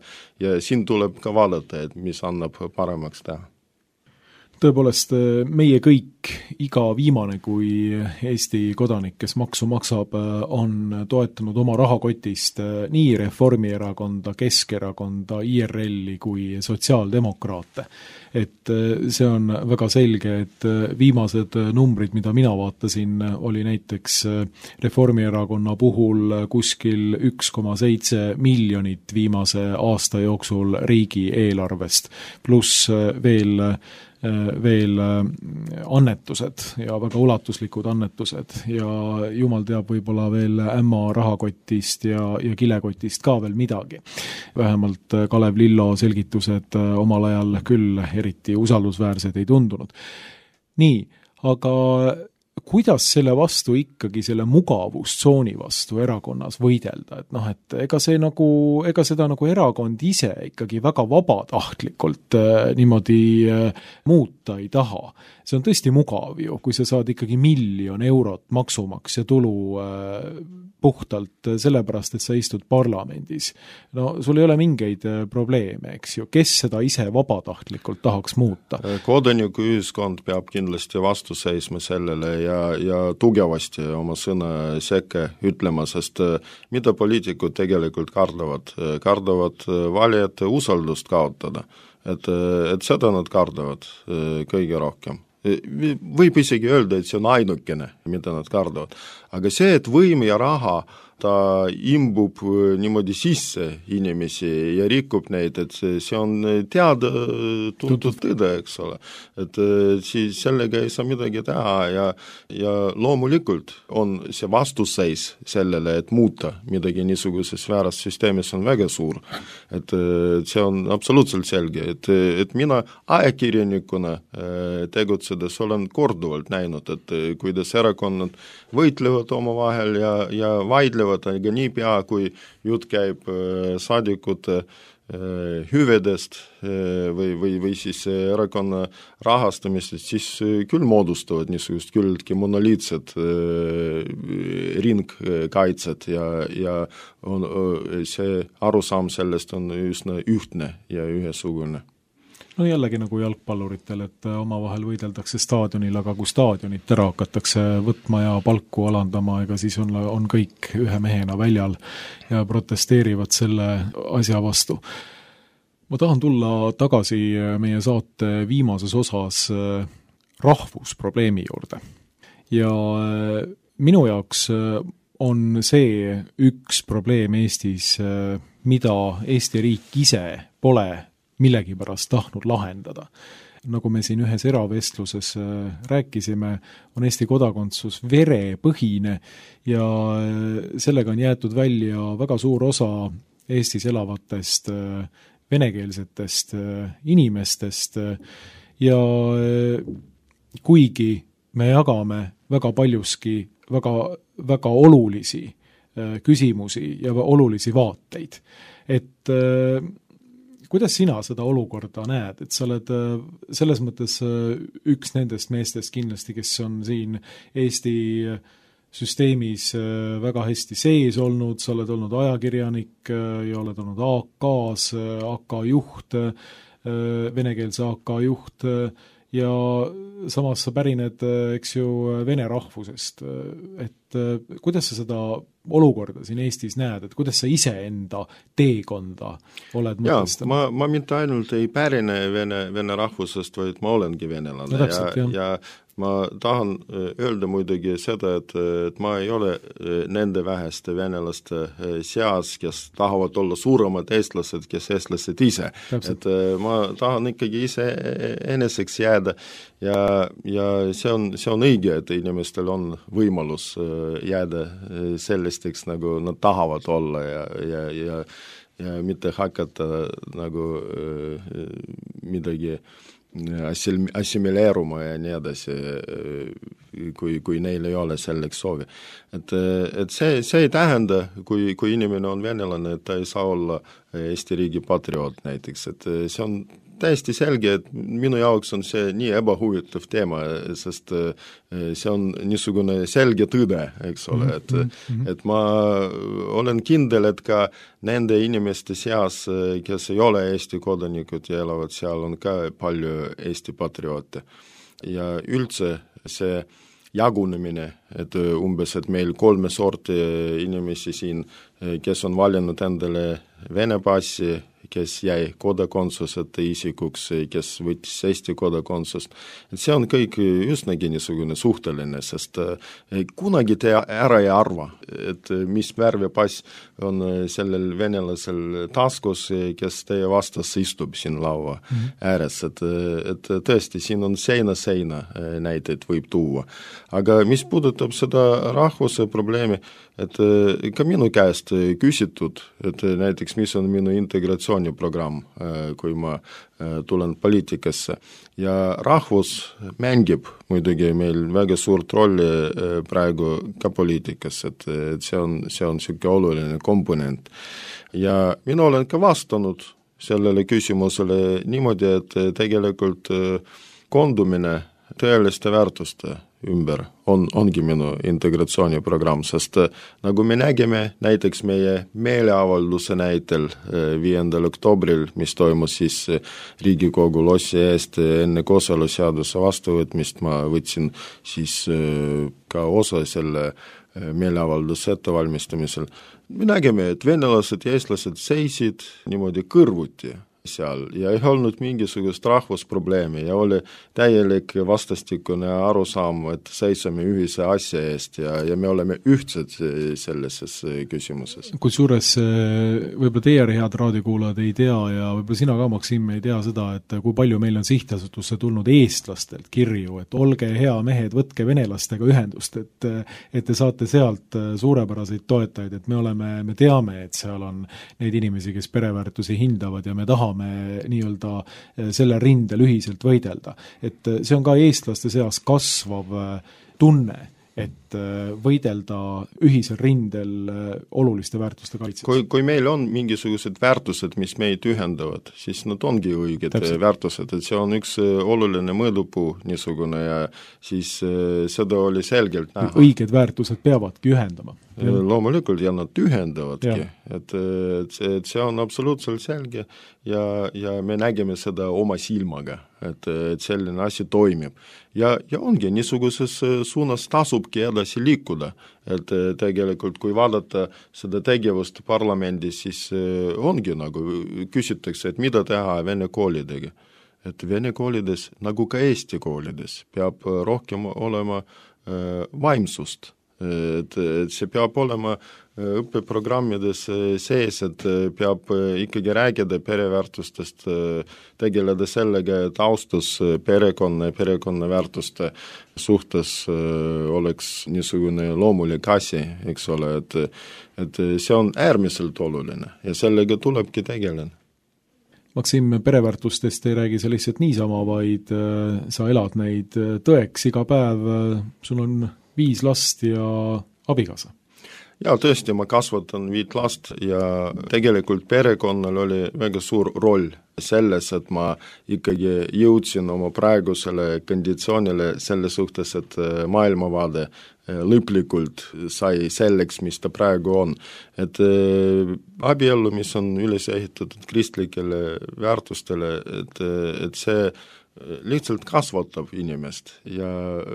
siin tuleb ka vaadata, et mis annab paremaks teha. Tõepoolest, meie kõik, iga viimane kui Eesti kodanik, kes maksu maksab, on toetanud oma rahakotist nii Reformierakonda, Keskerakonda, IRL-i kui sotsiaaldemokraate. Et see on väga selge, et viimased numbrid, mida mina vaatasin, oli näiteks Reformierakonna puhul kuskil 1,7 miljonit viimase aasta jooksul riigi eelarvest, pluss veel annetused ja väga ulatuslikud annetused ja jumal teab võib-olla veel ämma rahakotist ja kilekotist ka veel midagi. Vähemalt Kalev Lillo selgitused omal ajal küll eriti usaldusväärsed ei tundunud. Nii, aga kuidas selle vastu ikkagi, selle mugavustsooni vastu erakonnas võidelda, et ega seda nagu erakond ise ikkagi väga vabatahtlikult niimoodi muuta ei taha. See on tõesti mugav ju, kui sa saad ikkagi 1 000 000 eurot maksumaksja tulu puhtalt sellepärast, et sa istud parlamendis. No sul ei ole mingeid probleeme, eks ju. Kes seda ise vabatahtlikult tahaks muuta? Kodanikuühiskond peab kindlasti vastu seisma sellele ja tugevasti oma sõna sekka ütlema, sest mida poliitikud tegelikult kardavad? Kardavad valijate usaldust kaotada. Et seda nad kardavad kõige rohkem. Võib isegi öelda, et see on ainukene, mida nad kardavad. Aga see, et võim ja raha ta imbub niimoodi sisse inimesi ja rikub neid, et see on teada tuntud tõde, eks ole. Et siis sellega ei saa midagi teha ja loomulikult on see vastuseis sellele, et muuta midagi niisuguses vääras süsteemis on väga suur. Et see on absoluutselt selge, et mina ajakirjanikuna tegutsedes olen korduvalt näinud, et kuidas erakonnad võitlevad omavahel ja vaidlevad, aga nii pea, kui jutt käib saadikute hüvedest või siis erakonna rahastamist, siis küll moodustavad niisugust küllki monoliitsed ringkaitsed ja see arusaam sellest on üsna ühtne ja ühesugune. no jällegi nagu jalgpalluritel, et omavahel võideldakse staadionil, aga kui staadionit ära hakatakse võtma ja palku alandama, ega siis on kõik ühe mehena väljal ja protesteerivad selle asja vastu. Ma tahan tulla tagasi meie saate viimases osas rahvusprobleemi juurde. Ja minu jaoks on see üks probleem Eestis, mida Eesti riik ise pole millegipärast tahtnud lahendada. Nagu me siin ühes eravestluses rääkisime, on Eesti kodakondsus verepõhine ja sellega on jäetud välja väga suur osa Eestis elavatest venekeelsetest inimestest ja kuigi me jagame väga paljuski väga olulisi küsimusi ja olulisi vaateid. Et kuidas sina seda olukorda näed, et sa oled selles mõttes üks nendest meestest kindlasti, kes on siin Eesti süsteemis väga hästi sees olnud, sa oled olnud ajakirjanik ja oled olnud AK-s, AK juht, venekeelse AK juht ja samas sa pärined, eks ju, vene rahvusest. Et kuidas sa seda olukorda siin Eestis näed, et kuidas sa ise enda teekonda oled mõtestanud? Ma mitte ainult ei pärine vene rahvusest, vaid ma olengi venelane no, täpselt, ja ma tahan öelda muidugi seda, et ma ei ole nende väheste venelaste seas, kes tahavad olla suuremad eestlased, kes eestlased ise. Täpselt. Et ma tahan ikkagi ise eneseks jääda ja see on õige, et inimestel on võimalus jääda sellisteks, nagu nad tahavad olla ja mitte hakata nagu midagi assimileeruma ja nii edasi, kui neil ei ole selleks soovi. Et see ei tähenda, kui inimene on venelane, et ta ei saa olla Eesti riigi patrioot näiteks, et see on täiesti selge, et minu jaoks on see nii ebahuvitav teema, sest see on niisugune selge tõde, eks ole, et ma olen kindel, et ka nende inimeste seas, kes ei ole Eesti kodanikud ja elavad seal, on ka palju Eesti patrioote. Ja üldse see jagunemine, et umbes, et meil 3 sorti inimesi siin, kes on valinud endale Vene passi, kes jäi kodakondsuseta isikuks, kes võttis Eesti kodakondsust. Et see on kõik üsnagi niisugune suhteline, sest kunagi te ära ei arva, et mis värvi pass on sellel venelasel taskus, kes teie vastas istub siin laua ääres. Et tõesti, siin on seina näiteid võib tuua. Aga mis puudutab seda rahvuse probleemi, et ka minu käest küsitud, et näiteks mis on minu integratsiooniprogramm, kui ma tulen poliitikasse. Ja rahvus mängib muidugi meil väga suurt rolli praegu ka poliitikas, et see on selline oluline komponent. Ja mina olen ka vastanud sellele küsimusele niimoodi, et tegelikult kondumine tõeliste väärtuste ümber ongi minu integratsiooniprogramm, sest nagu me nägime näiteks meie meeleavalduse näitel 5. oktoobril, mis toimus siis Riigikogu lossi eest enne kooseluseaduse vastuvõtmist, ma võtsin siis ka osa selle meeleavalduse ettevalmistamisel. Me nägime, et venelased ja eestlased seisid niimoodi kõrvuti seal ja ei olnud mingisugust rahvusprobleemi ja oli täielik vastastikune arusaam, et seisame ühise asja eest ja me oleme ühtsed sellises küsimuses. Kusjuures võib-olla teie head raadiokuulajad ei tea ja võib-olla sina ka, Maksim, ei tea seda, et kui palju meil on sihtasutusse tulnud eestlastelt kirju, et olge hea mehed, võtke venelastega ühendust, et te saate sealt suurepäraseid toetajaid, et me teame, et seal on neid inimesi, kes pereväärtusi hindavad ja me tahame nii-öelda selle rindel ühiselt võidelda. Et see on ka eestlaste seas kasvav tunne et võidelda ühisel rindel oluliste väärtuste kaitseks. Kui meil on mingisugused väärtused, mis meid ühendavad, siis nad ongi õiged väärtused, et see on üks oluline mõõdupuu niisugune ja siis seda oli selgelt näha. Õiged väärtused peavadki ühendama. Loomulikult ja nad ühendavadki, et see on absoluutselt selge ja me nägime seda oma silmaga, et selline asi toimib. Ja ongi niisuguses suunas tasubki edasi liikuda, et tegelikult kui vaadata seda tegevust parlamendis, siis ongi nagu küsitakse, et mida teha vene koolidega. Et vene koolides, nagu ka Eesti koolides, peab rohkem olema vaimsust. Et see peab olema õppeprogrammides sees, et peab ikkagi räägida pereväärtustest, tegeleda sellega, et austus perekonna väärtuste suhtes oleks niisugune loomulik asi, eks ole, et see on äärmiselt oluline ja sellega tulebki tegeleda. Maksim, pereväärtustest ei räägi sa lihtsalt niisama, vaid sa elad neid tõeks iga päev, sul on 5 last ja abikaasa. Ja tõesti, ma kasvatan 5 last ja tegelikult perekonnal oli väga suur roll selles, et ma ikkagi jõudsin oma praegusele konditsioonile selle suhtes, et maailmavaade lõplikult sai selleks, mis ta praegu on. Et abiellu, mis on üles ehitatud kristlikele väärtustele, et see lihtsalt kasvatab inimest ja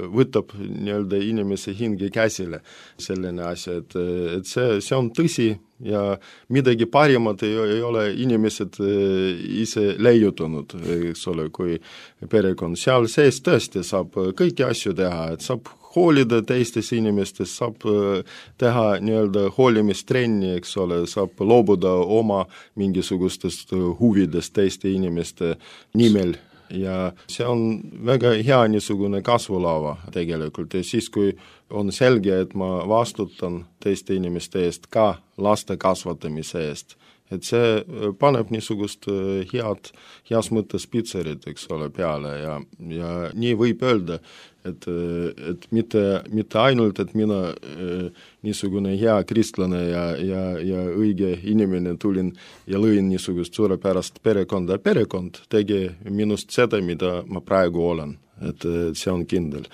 võtab nii-öelda inimese hinge käsile selline asi, et see on tõsi ja midagi parimat ei ole inimesed ise leiutanud, eks ole, kui perekond. Seal sees tõesti saab kõiki asju teha, et saab hoolida teistest inimestest, saab teha nii-öelda hoolimistrenni, eks ole, saab loobuda oma mingisugustest huvidest teiste inimeste nimel. Ja see on väga hea niisugune kasvulava tegelikult ja siis, kui on selge, et ma vastutan teiste inimeste eest ka laste kasvatamise eest, et see paneb niisugust heas mõttes pitserit, eks ole, peale ja nii võib öelda, et mitte ainult, et mina niisugune hea kristlane ja õige inimene tulin ja lõin niisugust suurepärast perekonda. Perekond tegi minust seda, mida ma praegu olen, et see on kindel.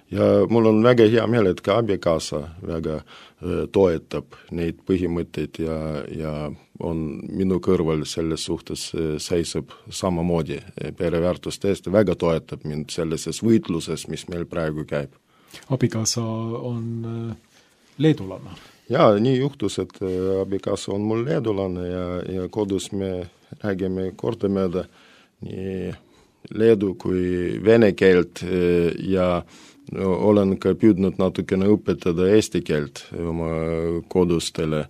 Ja mul on väga hea meel, et ka abikaasa väga toetab neid põhimõtteid ja on minu kõrval selles suhtes seisab samamoodi pereväärtuste eest ja väga toetab mind sellises võitluses, mis meil praegu käib. Abikaasa on leedulane? Ja, nii juhtus, et abikaasa on mul leedulane ja kodus me räägime kordamööda nii leedu kui vene keelt ja olen ka püüdnud natukene õpetada eesti keelt oma kodustele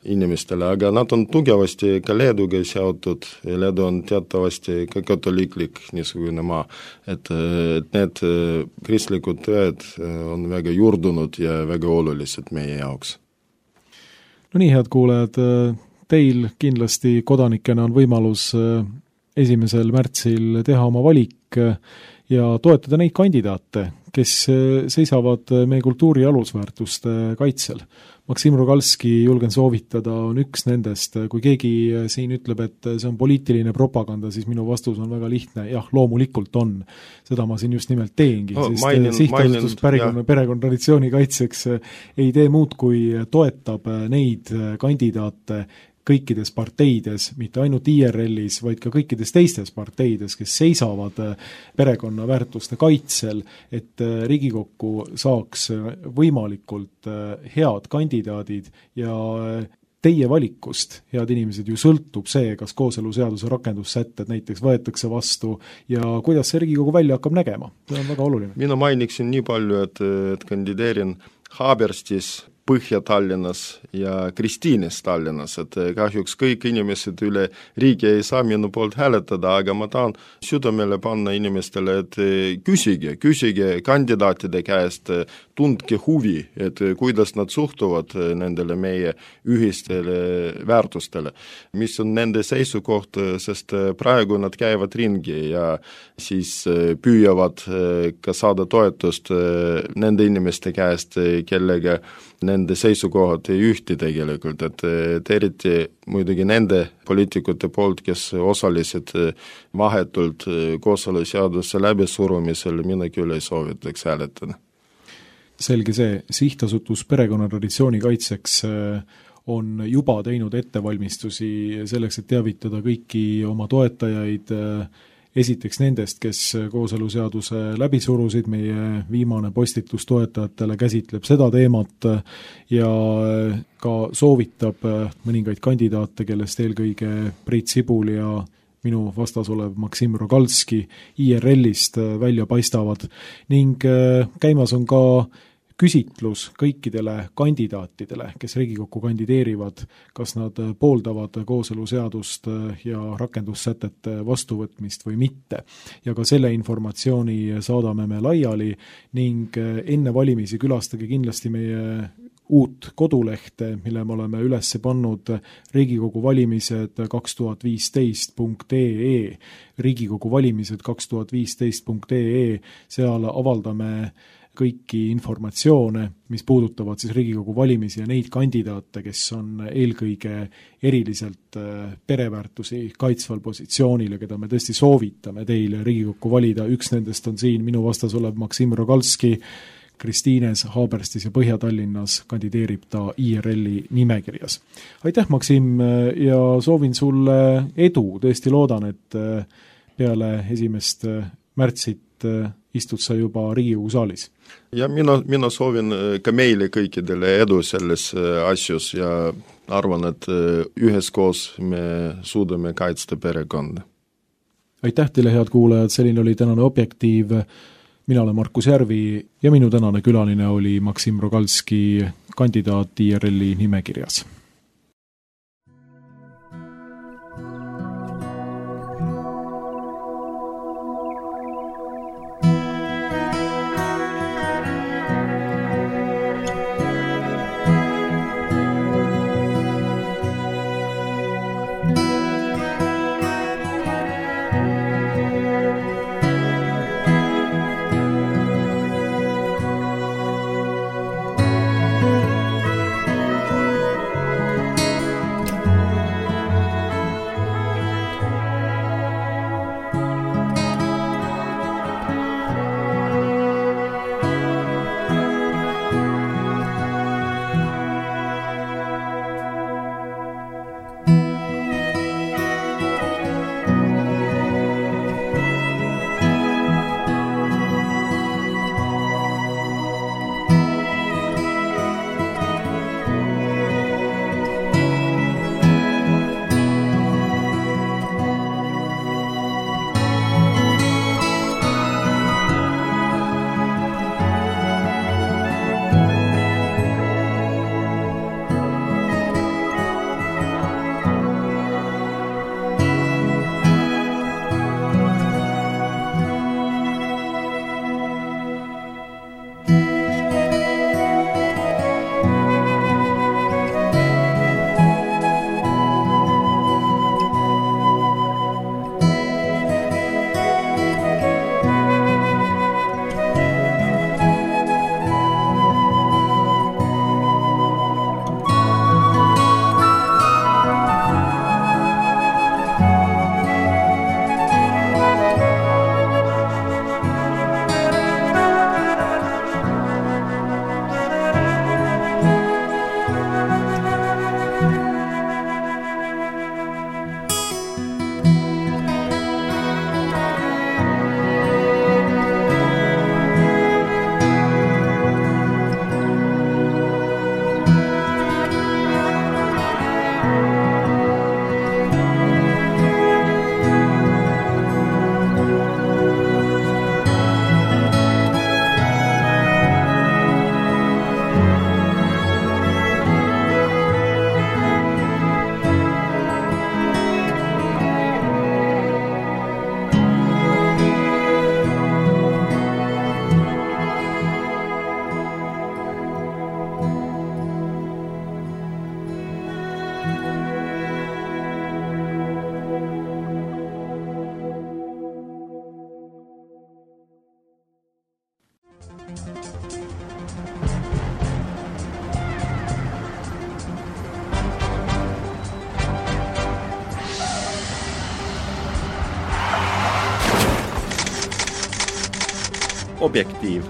inimestele, aga nad on tugevasti ka Leeduga seotud ja Leedu on teatavasti ka katoliiklik niisugune maa, et need kristlikud tõed on väga juurdunud ja väga olulised meie jaoks. No nii, head kuulajad, teil kindlasti kodanikena on võimalus 1. märtsil teha oma valik ja toetada neid kandidaate, kes seisavad meie kultuuri alusväärtuste kaitsel. Maksim Rogalski, julgen soovitada, on üks nendest. Kui keegi siin ütleb, et see on poliitiline propaganda, siis minu vastus on väga lihtne. Jah, loomulikult on. Seda ma siin just nimelt teengi, sest sihtasutus perekonna traditsiooni kaitseks ei tee muud, kui toetab neid kandidaate kõikides parteides, mitte ainult IRL-is, vaid ka kõikides teistes parteides, kes seisavad perekonna väärtuste kaitsel, et Riigikokku saaks võimalikult head kandidaadid ja teie valikust, head inimesed, ju sõltub see, kas kooseluseaduse rakendussätted näiteks võetakse vastu ja kuidas see Riigikogu välja hakkab nägema. See on väga oluline. Mina mainiksin nii palju, et kandideerin Haaberstis Põhja-Tallinnas ja Kristiines Tallinnas, et kahjuks kõik inimesed üle riigi ei saa minu poolt hääletada, aga ma tahan südamele panna inimestele, et küsige kandidaatide käest, tundke huvi, et kuidas nad suhtuvad nendele meie ühistele väärtustele, mis on nende seisukoht, sest praegu nad käivad ringi ja siis püüavad ka saada toetust nende inimeste käest, kellega nende seisukohad ei ühti tegelikult, et eriti muidugi nende poliitikute poolt, kes osalesid vahetult kooseluseaduse läbisurumisel, mina küll ei soovitaks hääletada. Selge see, sihtasutus perekonnatraditsiooni kaitseks on juba teinud ettevalmistusi selleks, et teavitada kõiki oma toetajaid esiteks nendest, kes kooseluseaduse läbi surusid, meie viimane postitus toetajatele käsitleb seda teemat ja ka soovitab mõningaid kandidaate, kellest eelkõige Priit Sibul ja minu vastas olev Maksim Rogalski IRL-ist välja paistavad ning käimas on ka küsitlus kõikidele kandidaatidele, kes Riigikokku kandideerivad, kas nad pooldavad kooseluseadust ja rakendussätete vastuvõtmist või mitte. Ja ka selle informatsiooni saadame me laiali ning enne valimisi külastage kindlasti meie uut kodulehte, mille me oleme üles pannud Riigikogu valimised 2015.ee, Riigikogu valimised 2015.ee, seal avaldame kõiki informatsioone, mis puudutavad siis Riigikogu valimisi ja neid kandidaate, kes on eelkõige eriliselt pereväärtusi kaitsval positsioonil ja keda me tõesti soovitame teile Riigikokku valida. Üks nendest on siin minu vastas olev Maksim Rogalski, Kristiines, Haaberstis ja Põhja-Tallinnas kandideerib ta IRL-i nimekirjas. Aitäh, Maksim, ja soovin sulle edu, tõesti loodan, et peale 1. märtsit istud sa juba Riigikogu saalis. Ja mina soovin ka meile kõikidele edu selles asjus ja arvan, et üheskoos me suudame kaitsta perekonda. Aitäh teile, head kuulajad, selline oli tänane Objektiiv. Mina olen Markus Järvi ja minu tänane külaline oli Maksim Rogalski, kandidaat IRL-i nimekirjas. Objektiiv